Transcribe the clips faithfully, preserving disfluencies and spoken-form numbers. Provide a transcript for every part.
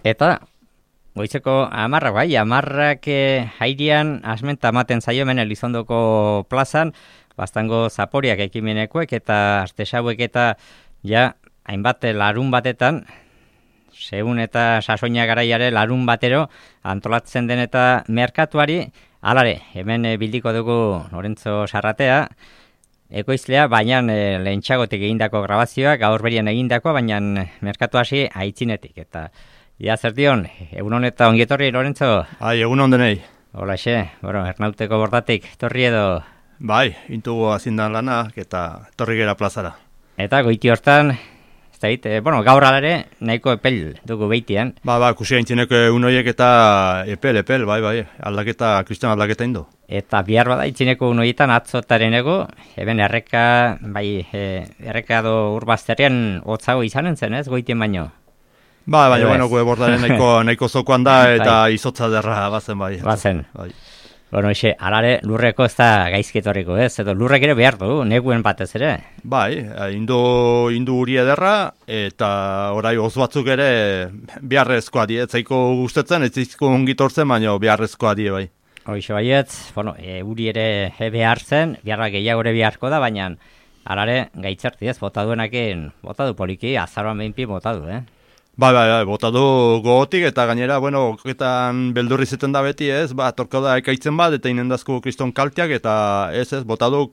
Eta goizeko amarrak, bai, amarrak eh, hairian asmenta ematen zaio hemen Elizondoko plazan, bastango zaporiak ekimenekoek eta artesauek eta ja hainbat larun batetan, segun eta sasoina garaiare larun batero antolatzen den eta merkatuari, alare, hemen eh, bildiko dugu Lorenzo Sarratea, ekoizlea, baina e, lehentxagotik egindako grabazioa, gaur berian egindako, baina merkatu hasi aitzinetik. Eta ja zer dion, egunon eta ongietorri, Lorenzo? Ai, egunon denei. Hola, xe, bueno, ernauteko bordatik, torri edo? Bai, intugu azindan lana, eta torri gera plazara. Eta goiti hortan, ez da hit, e, bueno, gaur alare, nahiko epel dugu beitian. Ba, ba, kusi gaintzineko egun horiek eta epel, epel, bai, bai, aldaketa, kristian aldaketa indo. Eta bihar bada itzineko unoietan atzotaren ego, eben erreka, bai, e, erreka do urbazterrian hotzago izanen zen, ez, goitien baino? Ba, baina, bueno, gure bordaren nahiko, nahiko zokoan da, eta izotza derra bazen, bai. Bazen. Bai. Bueno, xe, alare lurreko ez da gaizketorriko, ez? Edo lurrek ere behar du, neguen batez ere? Bai, indu, indu uri ederra, eta orai oz batzuk ere beharrezkoa die, ez zaiko gustetzen, ez zaiko ongitortzen, baina beharrezkoa die, bai. Hoxe baiet, bueno, e, uri ere e, behar zen, beharra gehiago ere beharko da, baina alare gaitzerti ez, bota duenakin, bota du poliki, azaroan behinpi bota du, eh? Bai, bai, bai, bota du gogotik, eta gainera, bueno, oketan beldurri zeten da beti, ez, ba, torko da ekaitzen bat, eta inendazko kriston kalteak, eta ez, ez, bota du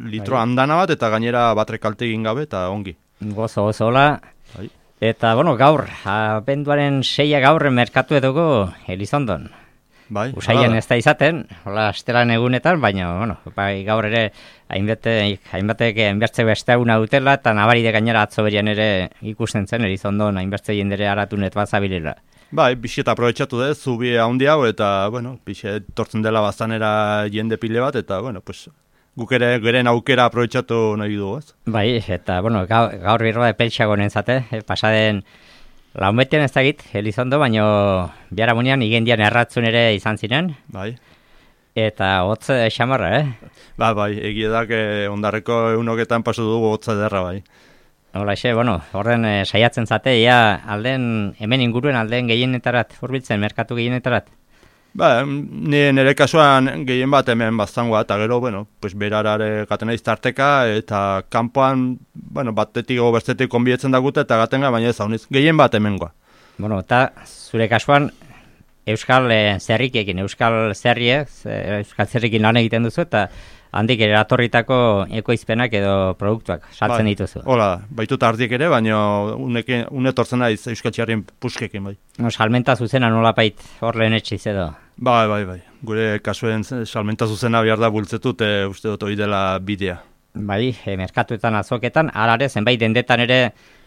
litro andana bat, eta gainera batre kalte egin gabe, eta ongi. Gozo, gozo, hola. Bai. Eta, bueno, gaur, abenduaren seia gaur merkatu edugu Elizondon. Bai, Usaian ez da izaten, hola, estelan egunetan, baina, bueno, bai, gaur ere, hainbete, hainbatek hainbertze beste eguna dutela, eta nabaride gainera atzo berian ere ikusten zen, Elizondon hainbertze jendere aratunet bat zabilela. Bai, bixiet aprobetxatu dez, zubi haundi hau, eta, bueno, bixiet tortzen dela baztanera jende pile bat, eta, bueno, pues, guk ere geren aukera aprobetxatu nahi dugu, ez? Bai, eta, bueno, gaur, gaur birroa de peltsago nentzate, eh, pasaden, launbetian ez dakit, Elizondo, baino biharamunean igendian erratzun ere izan ziren. Bai. Eta hotz xamarra, eh? Ba, bai, egiedak eh, ondarreko egunoketan pasu dugu hotza derra, bai. Hola, xe, bueno, horren eh, saiatzen zate, ia alden, hemen inguruen alden gehienetarat, hurbiltzen, merkatu gehienetarat? Ba, ni nire kasuan gehien bat hemen baztangoa, eta gero, bueno, pues berarare gaten naiz tarteka, eta kanpoan, bueno, batetik o bestetik konbietzen dagute, eta gatenga, baina ez hauniz, gehien bat hemengoa. Bueno, eta zure kasuan, Euskal eh, Zerrikekin, Euskal Zerriek, Euskal Zerrikin lan egiten duzu, eta handik ere atorritako ekoizpenak edo produktuak saltzen bai, dituzu. Hola, baitut ardiek ere, baina unekin, unetortzen naiz Euskal Txarrien puskekin, bai. No, salmenta zuzena nolapait hor lehen etxiz edo? Bai, bai, bai. Gure kasuen salmenta zuzena behar da bultzetut, e, uste dut hori dela bidea. Bai, e, merkatuetan, azoketan, alare zenbait dendetan ere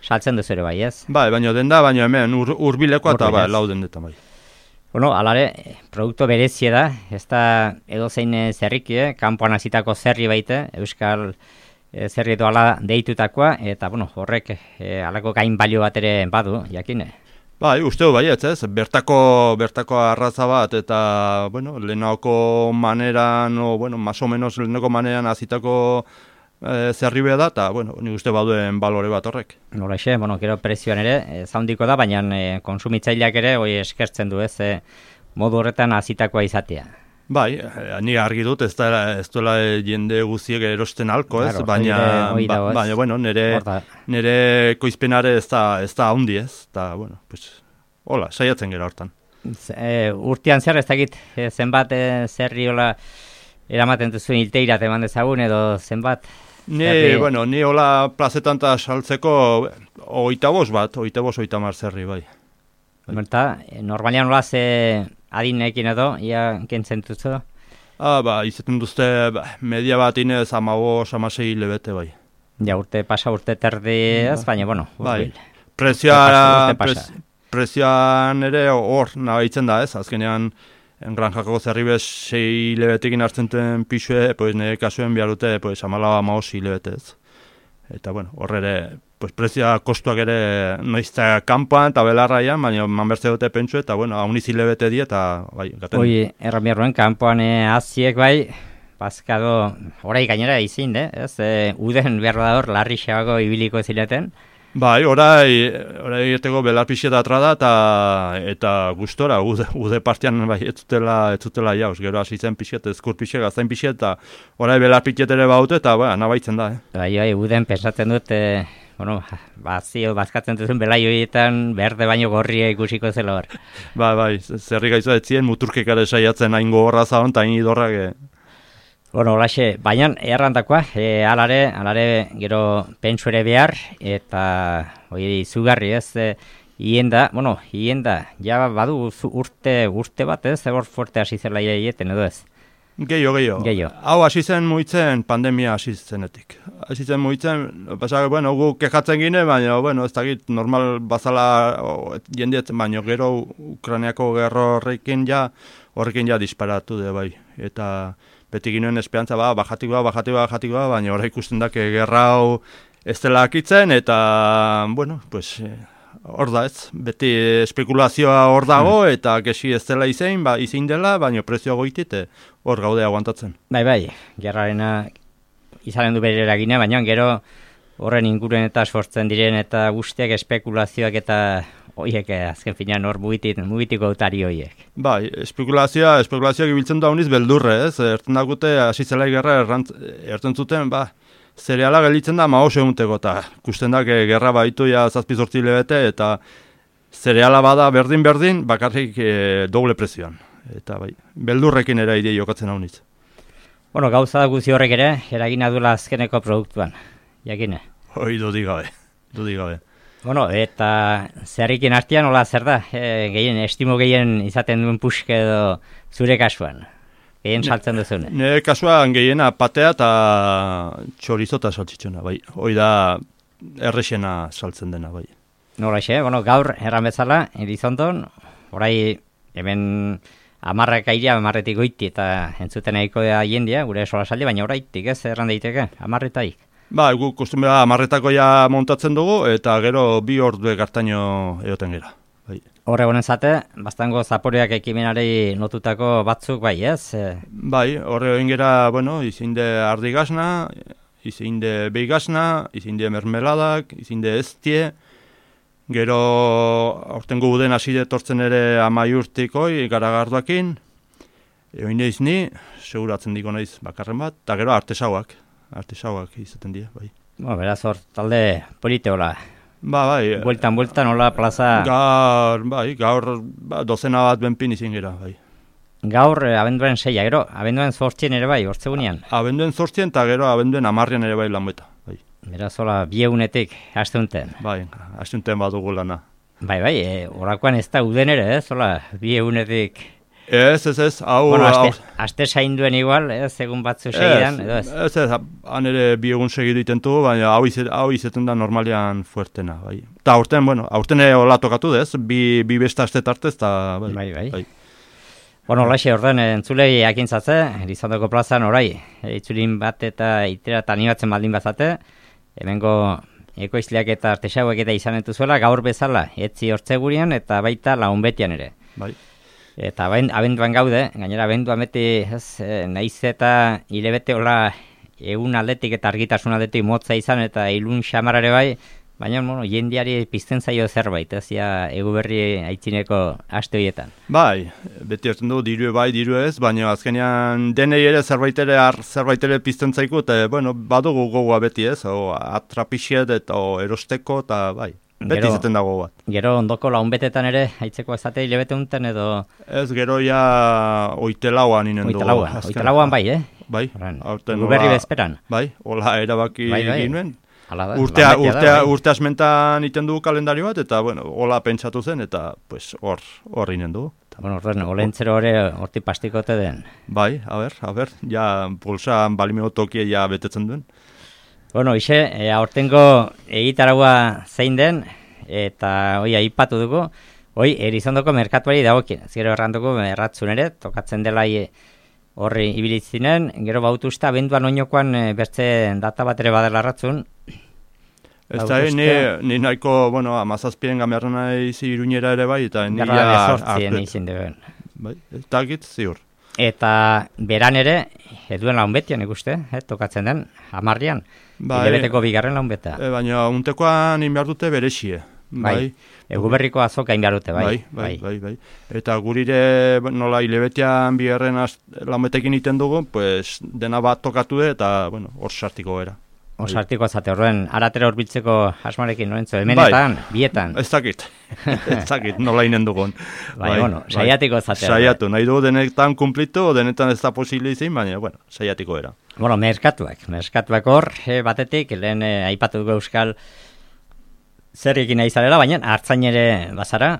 saltzen duzu ere bai, ez? Bai, baina denda, baina hemen ur, urbileko eta bai, lau dendetan bai. Bueno, alare, produktu berezie da, ez da edozein zerriki, eh? Kanpoan hasitako zerri baite, Euskal e, zerri edo ala deitutakoa, eta bueno, horrek e, alako gain balio bat ere badu, jakine. Bai, usteo baietz, ez? Bertako, bertako arraza bat, eta, bueno, lehenako maneran, o, bueno, más o menos lehenako maneran azitako e, zerri da, eta, bueno, nik uste baduen balore bat horrek. Nola xe, bueno, gero prezioan ere, e, zaundiko da, baina e, konsumitzaileak ere, hoi eskertzen du, ez, e, modu horretan azitakoa izatea. Bai, ni argi dut, ez, da, ez duela jende guziek erosten alko, ez, claro, baina, ba, baina, bueno, nire, nire koizpenare ez da, ez da haundi, ez, eta, bueno, pues, hola, saiatzen gera hortan. E, urtean zer, ez dakit, e, zenbat e, zerri hola eramaten duzuen ilteirat eman dezagun, edo zenbat? Ni, bueno, ni hola plazetan eta saltzeko oita bost bat, oita bost, oita mar zerri, bai. Berta, normalian hola ze adinekin edo, ia kentzen duzu? Ah, ba, izaten duzte, ba, media bat inez amabos, amasei lebete, bai. Ja, urte pasa, urte terdi ez, baina, bueno, bai. Prezioa, prez, prezioan ere hor nabaitzen da ez, azkenean engranjako zerribez sei lebetekin hartzen den pixue, pues nire kasuen behar dute, pues amala amabos lebete ez. Eta, bueno, hor ere, pues prezioa kostuak ere noizta kanpoan eta belarraian, baina manbertze dute pentsu, eta, bueno, hauniz hilebete di, eta, bai, gaten. Oi, erramierroen, kanpoan aziek, bai, bazkado, orai gainera izin, de, ez, e, uden behar da hor, larri xabago ibiliko zileten. Bai, orai, orai egiteko belar pixeta atrada eta, eta gustora, ude, ude partian bai, ez zutela, ez zutela jauz, gero hasi zen pixet, ezkur pixet, gaztain pixet, eta orai belar pixet ere baute, eta bai, nabaitzen da. Eh? Bai, bai, uden pensatzen dut, eh, bueno, bazio, bazkatzen duzun belai horietan, berde baino gorria ikusiko zela hor. Bai, bai, zerri gaizu ez ziren, muturkekare saiatzen hain gogorra zaon, eta hain idorrak. Eh. Bueno, holaxe, baina errandakoa, e, alare, alare gero pentsu ere behar, eta hori izugarri ez, e, hienda, bueno, hienda, ja badu urte, urte bat ez, egor fuerte hasi zela ieten edo ez. Gehiago, gehiago. Gehiago. Hau hasi zen muitzen pandemia hasi zenetik. Hasi zen muitzen, pasak, bueno, gu kejatzen gine, baina, bueno, ez dakit normal bazala jendeetzen, baina gero Ukrainiako gerro horrekin ja, horrekin ja disparatu de bai. Eta beti ginoen esperantza, ba, bajatik ba, bajatik ba, bajatik ba, baina horre ikusten da, gerra hau ez dela akitzen, eta, bueno, pues, hor da ez, beti espekulazioa hor dago, hmm. eta gesi ez dela izein, ba, izein dela, baina prezioa goitit, hor gaude aguantatzen. Bai, bai, gerrarena izanen du bere eragina, baina gero horren inguren eta sortzen diren eta guztiak espekulazioak eta horiek azken finean hor mugitik, mugitiko autari horiek. Bai, espekulazioa, espekulazioak ibiltzen da honiz beldurre, ez? Erten dagute, hasi zela gerra erten zuten, ba, zereala gelitzen da maos egunteko, eta ikusten da, gerra baitu ja zazpizortzi lebete, eta zereala bada berdin-berdin, bakarrik e, doble prezioan. Eta bai, beldurrekin ere idei jokatzen haunitz. Bueno, gauza da guzi horrek ere, eragina duela azkeneko produktuan, jakine. Hoi, dudik gabe, dudik gabe. Bueno, eta zerrikin artean, hola zer da, e, gehien, estimo gehien izaten duen puxke edo zure kasuan. Gehien saltzen duzune. Nire kasuan gehiena patea eta txorizota saltzitzuna, bai. Hoi da errexena saltzen dena, bai. Nola xe, bueno, gaur erran bezala, Elizondon, orai hemen amarrak airea, amarretik goiti eta entzuten nahiko da jendia, gure sola saldi, baina oraitik ez erran daiteke, amarretaik. Ba, gu kostumera amarretako ja montatzen dugu, eta gero bi ordu gartaino egoten gera. Bai. Horre honen zate, bastango zaporeak ekimenari notutako batzuk bai, ez? Bai, horre honen gera, bueno, izinde ardi gazna, izinde behi gazna, izinde mermeladak, izinde eztie, gero aurten guden hasi detortzen ere amaiurtikoi garagarduakin, egin neiz ni, seguratzen diko naiz bakarren bat, eta gero artesauak, artesauak izaten dira, bai. Bueno, beraz hor, talde polite hola. Ba, bai. Bueltan, bueltan, hola, plaza... Gaur, bai, gaur ba, dozena bat benpin izin gira, bai. Gaur, abenduen seia, gero, abenduen zortzien ere bai, hortzegunean? Abenduen zortzien eta gero abenduen amarrian ere bai lanbeta, bai. Beraz, hola, biegunetik, hasteunten. Bai, hasteunten badugu lana. Bai, bai, e, orakoan ez da uden ere, ez, hola, biegunetik... Ez, ez, ez, hau... Bueno, aste, aste sainduen igual, ez, egun batzu segidan, edo ez? Ez, ez, han ere bi egun segidu itentu, baina hau, izet, hau izeten da normalean fuertena, bai. Eta aurten, bueno, aurten ere hola tokatu dez, bi, bi besta aste tartez, eta... Bai, bai, bai. bai. Bueno, holaxe, orden, entzulei jakintzatze, Elizondoko plazan orai, itzulin bat eta itera eta animatzen baldin bazate, hemengo ekoizleak eta artesauek eta izan entuzuela, gaur bezala, etzi hortzegurian eta baita launbetian ere. Bai. Eta abenduan gaude, gainera abenduan beti, ez, naiz eta hilebete hola egun aldetik eta argitasun aldetik motza izan eta ilun xamarare bai, baina, bueno, jendiari pizten zaio zerbait, ez, ja, egu berri aitzineko aste horietan. Bai, beti hartzen du, diru bai, diru ez, baina azkenean denei ere zerbait ere, zerbait ere pizten zaiku, eta, bueno, badugu gogoa beti ez, o, atrapixiet eta o, erosteko, eta bai. Beti izaten dago bat. Gero ondoko launbetetan ere, haitzeko ezate hilebete unten edo... Ez, gero ja oitelauan inen dugu. Oitelauan, oitelauan bai, eh? Bai. Guberri bezperan. Bai, hola erabaki bai, bai. ginuen. Da, urtea, urtea, da, bai. urte asmentan iten dugu kalendario bat, eta, bueno, hola pentsatu zen, eta, pues, hor, hor inen dugu. Bueno, orden, olentzero hori horti pastikote den. Bai, a ber, a ber, ja, pulsa balimeo tokie ja betetzen duen. Bueno, ise, e, aurtengo egitaragua zein den, eta hoi aipatu dugu, hoi Elizondoko merkatuari dagokien. Gero erranduko erratzun ere, tokatzen dela horri ibilitzinen, gero bautuzta, abenduan oinokoan e, bertze data bat ere badela erratzun. Ez da, ni, ni nahiko, bueno, amazazpien gamerra nahi iruñera ere bai, eta ni ja... Garra bezortzien izin duen. Bai, eta git, ziur. Eta beran ere, eduen laun betian ikuste, eh, tokatzen den, hamarrian, bai, hilabeteko bigarren laun beta. E, baina untekoan inbiar dute berexie. Bai, bai. Egu berriko azoka inbiar dute, bai. Bai, bai, bai, bai. Eta gurire nola hilabetean bigarren laun betekin iten dugu, pues, dena bat tokatu eta, bueno, hor sartiko gara. Hor sartiko azate horren, aratera horbiltzeko asmarekin, noentzo, hemenetan, bai, bietan. Ez dakit, ez dakit, nola inen dugun. Bai, bai, bueno, saiatiko azate. Saiatu, nahi du denetan kumplitu, denetan ez da posibili izin, baina, bueno, saiatiko era. Bueno, merkatuak, merkatuak hor, eh, batetik, lehen eh, aipatu dugu euskal zer egin nahi zarela, baina hartzain ere bazara,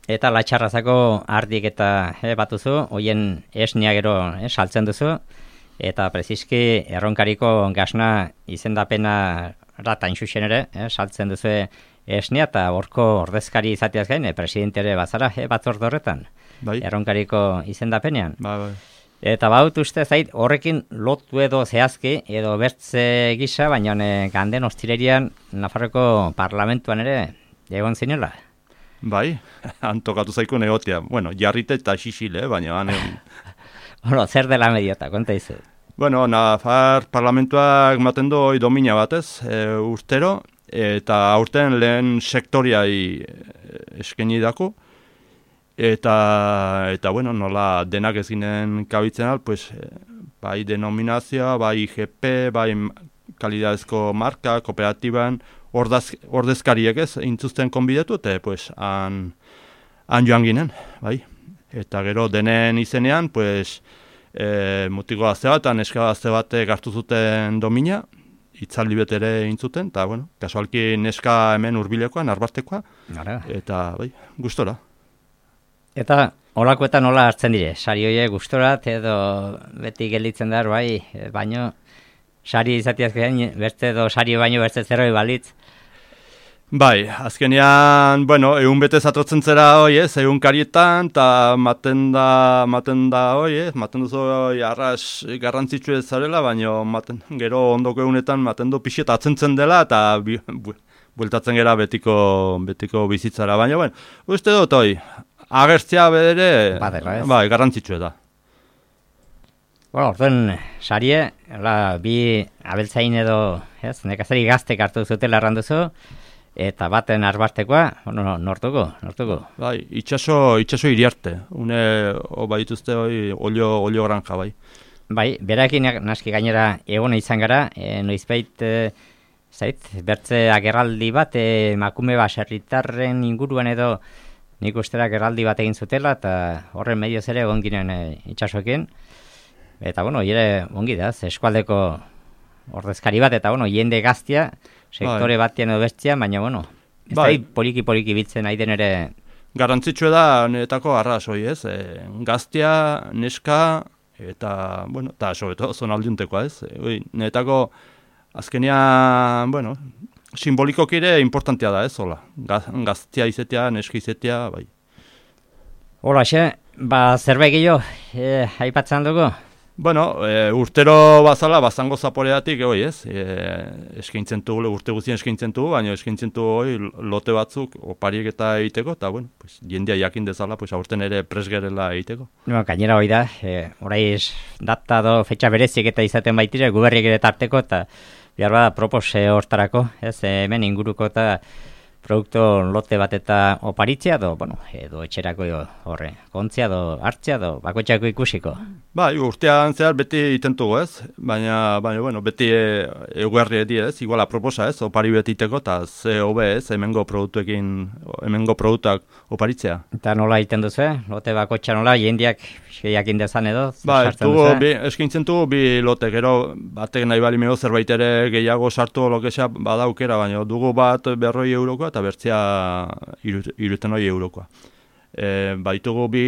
eta latxarrazako ardik eta eh, batuzu, hoien esnia gero eh, saltzen duzu, eta preziski erronkariko gasna izendapena rata inxuxen ere, eh, saltzen duzu esnia, eta horko ordezkari izateaz gain, eh, presidente ere bazara, eh, batzorde horretan, bai, erronkariko izendapenean. Bai, bai. Eta baut uste zait horrekin lotu edo zehazki, edo bertze gisa, baina eh, ganden ostirerian Nafarroko parlamentuan ere egon zinela. Bai, antokatu zaiko negotia. Bueno, jarrite eta xixile, baina... Bueno, zer dela mediota, konta izu. Bueno, Nafar parlamentuak maten du domina batez, e, urtero, eta aurten lehen sektoriai eskeni dako, eta, eta bueno, nola denak ez ginen kabitzen al, pues, bai denominazioa, bai I G P, bai kalidadezko marka, kooperatiban, ordaz, ordezkariek ez, intzuzten konbidetu, eta pues, han, han joan ginen, bai. Eta gero denen izenean, pues, e, mutiko gazte bat, neska gazte bat gartu zuten domina, itzaldi betere intzuten, eta, bueno, kasualki neska hemen hurbilekoa, narbastekoa, eta, bai, gustora. Eta olakoetan nola hartzen dire, sari hoiek gustorat edo beti gelditzen dar, bai, baino, sari izatiaz gain, beste edo sari baino beste zerroi balitz. Bai, azkenean, bueno, egun bete zatrotzen zera hoi, ez, egun karietan, eta maten da, maten da hoi, ez, maten duzu hoi arras garrantzitsu ez zarela, baina maten, gero ondoko egunetan maten du pixet atzentzen dela, eta bi, bu, bueltatzen gera betiko, betiko bizitzara, baina, bueno, uste dut hoi, agertzea bedere, Badera, bai, garrantzitsu da. Bueno, orduan, sarie, la, bi abeltzain edo, ez, nekazari gaztek hartu zutela erranduzu, eta baten arbastekoa, bueno, nortuko, nortuko. Bai, itxaso, itxaso iriarte, une, o baituzte hoi, olio, olio granja, bai. Bai, berakin naski gainera egona izan gara, e, noizbait, e, zait, bertze agerraldi bat, e, makume baserritarren inguruan edo, nik ustera agerraldi bat egin zutela, eta horren medioz ere egon ginen e, itxasoekin. Eta, bueno, ere ongi da, eskualdeko ordezkari bat, eta, bueno, jende gaztia, sektore bai, batien edo bestia, baina, bueno, ez bai, da poliki-poliki bitzen nahi den ere... Garantzitsua da, netako arras hoi, ez? E, gaztia, neska, eta, bueno, eta sobeto, zonaldiuntekoa, ez? E, netako, azkenean, bueno, simbolikok ere importantea da, ez? Hola, gaztia izetea, neska izetea, bai. Hola, xe, ba, zerbait gehiago, e, aipatzen dugu? Bueno, e, urtero bazala, bazango zaporeatik, oi, ez? E, eskaintzen dugu, urte guztien eskaintzen dugu, baina eskaintzen dugu oi, lote batzuk, opariek eta egiteko, eta, bueno, pues, jendea jakin dezala, pues, aurten ere presgerela egiteko. No, gainera hoi da, e, oraiz data do fetxa berezik eta izaten baitire, guberriek ere tarteko, eta behar bada propose hortarako, ez, hemen inguruko eta produktu lote bat eta oparitzea, edo, bueno, edo etxerako horre, kontzia, edo hartzea, edo bakoitzako ikusiko. Ba, urtean zehar beti itentugu, ez? Baina, baina, bueno, beti eguerri edi, ez? Iguala proposa, ez? Opari beti iteko, eta ze hobe, ez? Hemengo produktuekin, hemengo produktak oparitzea. Eta nola iten duzu, eh? Lote bakoitza nola, jendiak jakin dezan edo? Ba, dugu, bi, eskintzen dugu bi lote, gero, batek nahi bali mego zerbait ere gehiago sartu lokesa badaukera, baina dugu bat berroi eurokoa, eta bertzea iruten hori eurokoa. E, baitugu bi,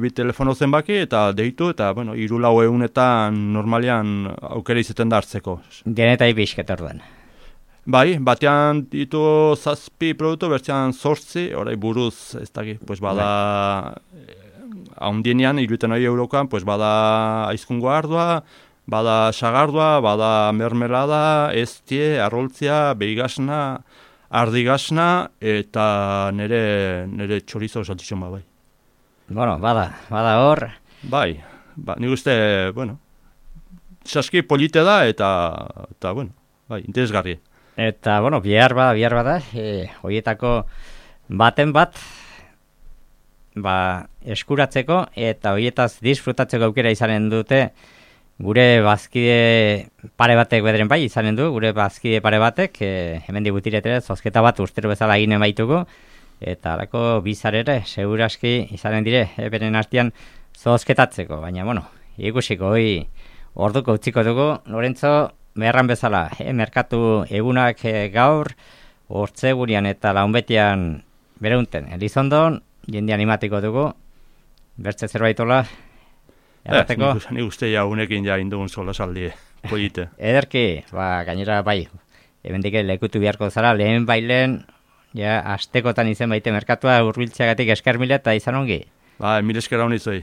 bi telefono zenbaki eta deitu, eta, bueno, iru lau egunetan normalian aukera izaten da hartzeko. Denetai pixket orduan. Bai, batean ditu zazpi produktu, bertzean zortzi, orai buruz, ez dakit, pues bada, haundienean, iruten hori eurokoan, pues bada aizkungo ardua, bada sagardua, bada mermelada, estie, arroltzia, behigasna, ardigasna, eta nire, nire txorizo saltxon bai. Bueno, bada, bada hor. Bai, ba, nik uste, bueno, saski polite da, eta, eta bueno, bai, interesgarri. Eta, bueno, bihar bada, bihar bada, e, horietako baten bat, ba, eskuratzeko, eta horietaz disfrutatzeko aukera izanen dute, gure bazkide pare batek bederen bai izanen du, gure bazkide pare batek, e, hemen digutiretere, zozketa bat urtero bezala eginen baitugu, eta alako bizarere, seguraski izanen dire, e, beren artean zozketatzeko, baina, bueno, ikusiko, hoi orduko utziko dugu, Lorentzo, beharran bezala, eh, merkatu egunak eh, gaur, hortzegurian eta launbetian bereunten. Elizondon, jende animatiko dugu, bertze zerbaitola, errateko. Eh, nik uste ja unekin ja indugun sola saldie, polite. Ederki, ba, gainera bai, ebendik lekutu beharko zara, lehen bailen, ja, astekotan izen baite merkatua urbiltzeagatik esker mila eta izan ongi. Ba, mil esker hau nizoi.